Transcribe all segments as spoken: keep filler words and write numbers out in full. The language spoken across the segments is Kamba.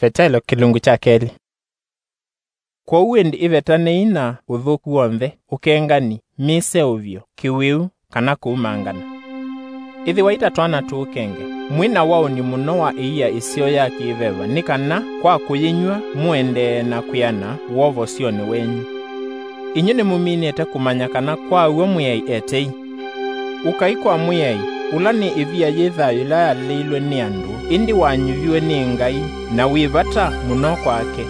Vetelo kĩlungu kya kelĩ. Kwoou ĩndĩ ĩvetanei na ũthũku w'onthe, ũkengani, mĩseũvyo, kĩwĩu, kana kũumangana. Ĩthĩwai ta twana tũũkenge, mwĩ na waũni mũno wa ĩia ĩseo ya kĩ-veva, nĩ kana kwa kũyĩnyw'a mũendee na kwĩana wovosyonĩ wenyu. Inyw'ĩ nĩmũminĩte kũmanya kana kwa w'o Mwĩai e tei? Ũkai kwa Mwĩai, ũla nĩ ĩvia yĩ thayũ ĩla yaleilwe nĩ andũ, ĩndĩ wanyuviwe nĩ Ngai, na wĩ vata mũno kwake.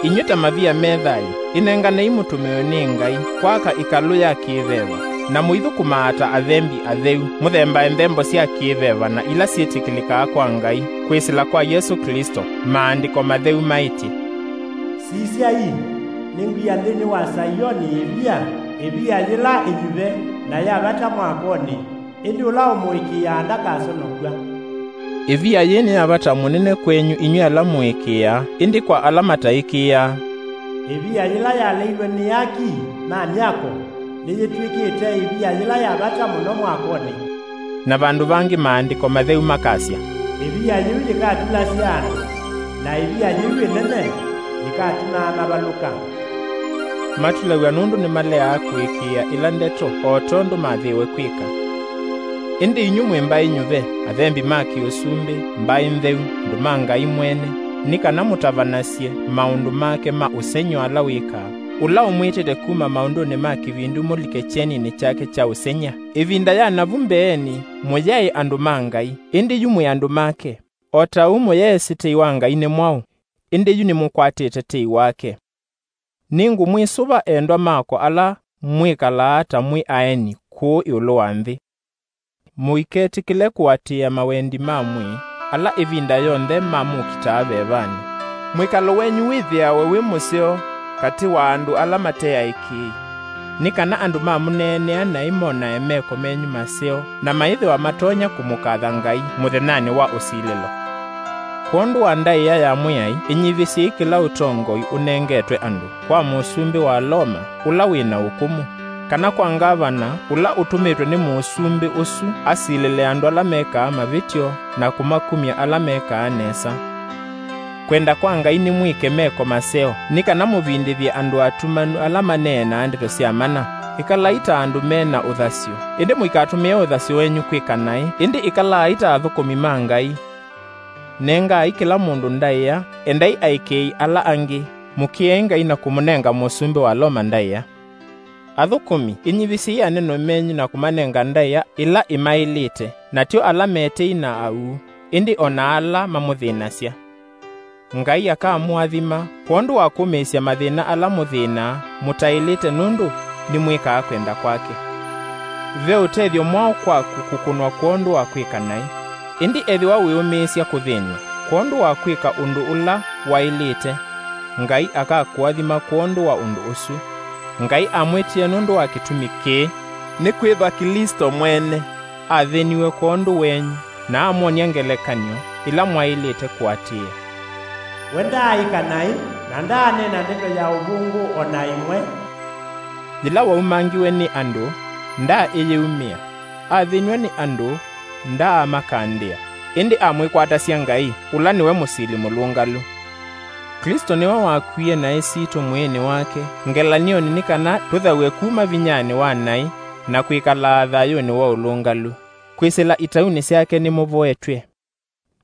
Inyw'ĩ ta mavia me thayũ, ĩnenganei mũtũmĩwe nĩ Ngai kwaka ĩkalũ ya kĩ-veva, na mũithũkũmaa ta athembi atheu, mũthembae nthembo sya kĩ-veva na ila syĩtĩkĩlĩkaa kwa Ngai, kwĩsĩla kwa Yesũ Klĩsto. Maandĩko matheu maĩtye, "Sisyai, nĩngwia nthĩnĩ wa Saioni ĩvia, ĩvia yĩla ĩnyuve na ya vata mwakonĩ, ĩndĩ ũla ũmũĩkĩĩaa ndakasonokw'a." Ĩvia yĩĩ nĩ ya vata mũnene kwenyu inyw'ĩ ala mũĩkĩĩaa, ĩndĩ kwa ala mataĩkĩĩaa, "Ĩvia yĩla yaleilwe nĩ aki ma myako nĩyĩtw'ĩkĩte ĩvia yĩla ya vata mũno mwakonĩ." Na vandũ vangĩ Maandĩko matheu makasya, "Ĩvia yĩu yĩkatulasya andũ, na ĩvia yĩu ĩnene yĩkatumaa mavalũka." Matulaw'a nũndũ nĩmaleaa kũĩkĩĩa ĩla ndeto o tondũ mathĩĩwe kwĩka. Ĩndĩ inyw'ĩ mwĩ mbaĩ nyuve, athembi ma kĩ-ũsumbĩ, mbaĩ ntheu, andũ ma Ngai mwene, nĩ kana mũtavanasye maũndũ make ma ũsengy'o ala wĩkaa, ũla ũmwĩtĩte kuma maũndũnĩ ma kĩvindu mũlike kyeninĩ kyake kya ũsengy'a. Ĩvinda ya navu mbeenĩ, mũyaĩ andũ ma Ngai, ĩndĩ yu mwĩ andũ make. O ta ũu mũyeesĩ tei wa Ngai nĩ mwaũ, ĩndĩ yu nĩmũkwatĩte tei wake. Nĩngũmwĩsũva, endwa makwa, ala mwĩkalaa ta mwĩ aeni kũũ ĩũlũ wa nthĩ. Mũiketĩkĩle kũatĩĩa mawendi ma mwĩĩ, ala ĩvinda yonthe mamũkitaa vevanĩ. Mwĩkalo wenyu wĩthĩawe wĩ mũseo katĩ wa andũ ala mate aĩkĩĩi, nĩ kana andũ mamũneenea naĩ monae meko menyu maseo, na maithĩwa matonya kũmũkatha Ngai mũthenyanĩ wa ũsilĩlo. Kwondũ wa ndaĩa ya Mwĩai, ĩnyivĩsyei kĩla ũtongoi ũnengetwe andũ kwa mũsumbĩ wa Loma ũla wĩ na ũkũmũ, kana kwa ngavana ũla ũtũmĩtwe nĩ mũsumbĩ ũsu asilĩle andũ ala mekaa mavĩtyo na kũmakumya ala mekaa nesa. Kwenda kwa Ngai nĩ mwĩke meko maseo, nĩ kana mũvindĩthye andũ atumanu ala maneenaa ndeto sya mana. Ĩkalai ta andũ me na ũthasyo, ĩndĩ mũikatũmĩe ũthasyo wenyu kwĩka naĩ, ĩndĩ ĩkalaai ta athũkũmi ma Ngai. Nengaai kĩla mũndũ ndaĩa, endai aĩkĩĩi ala angĩ, mũkĩei Ngai na kũmũnenga mũsumbĩ wa Loma ndaĩa. Athũkũmi, ĩnyivĩsyei anene menyu na kũmanenga ndaĩa ila imaĩlĩte, na tyo ala me tei na auu, ĩndĩ o na ala mamũthĩnasya. Ngai akamũathima kwondũ wa kũmĩĩsya mathĩna ala mũthĩnaa mũtaĩlĩte, nũndũ nĩmwĩkaa kwenda kwake. Ve ũtethyo mwaũ kwaku kũkũnwa kwondũ wa kwĩka naĩ, ĩndĩ ethĩwa wĩũmĩĩsya kũthĩnw'a kwondũ wa kwĩka ũndũ ũla waĩlĩte, Ngai akakũathima kwondũ wa ũndũ ũsu. Ngai amwĩtĩe nũndũ wa kĩtumi kĩĩ, nĩkwĩthwa Klĩsto mwene athĩniwe kwondũ wenyu, na amwony'a ngelekany'o ĩla mwaĩlĩte kũatĩĩa. We ndaaĩka naĩ, na ndaaneena ndeto ya ũvũngũ o na ĩmwe. Yĩla waumangiwe nĩ andũ, ndaaĩyĩumĩa. Athĩniwe nĩ andũ, ndaamakandĩa, ĩndĩ amwĩkwatasya Ngai, ũla nĩwe mũsili mũlũngalu. Klĩsto nĩwe wakwie naĩ sitũ mwĩĩnĩ wake ngelany'onĩ, nĩ kana tũthaw'e kuma vinyanĩ wa naĩ na kwĩkalaa thayũnĩ wa ũlũngalu. Kwĩsĩla itaunĩ syake nĩmũvoetw'e.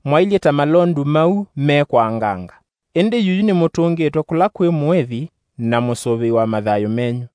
Mwailyĩ ta malondu mau mekwaanganga, ĩndĩ yuyu nĩmũtũngĩtwe kũla kwĩ Mũĩvi na Mũsũvĩi wa mathayũ menyu.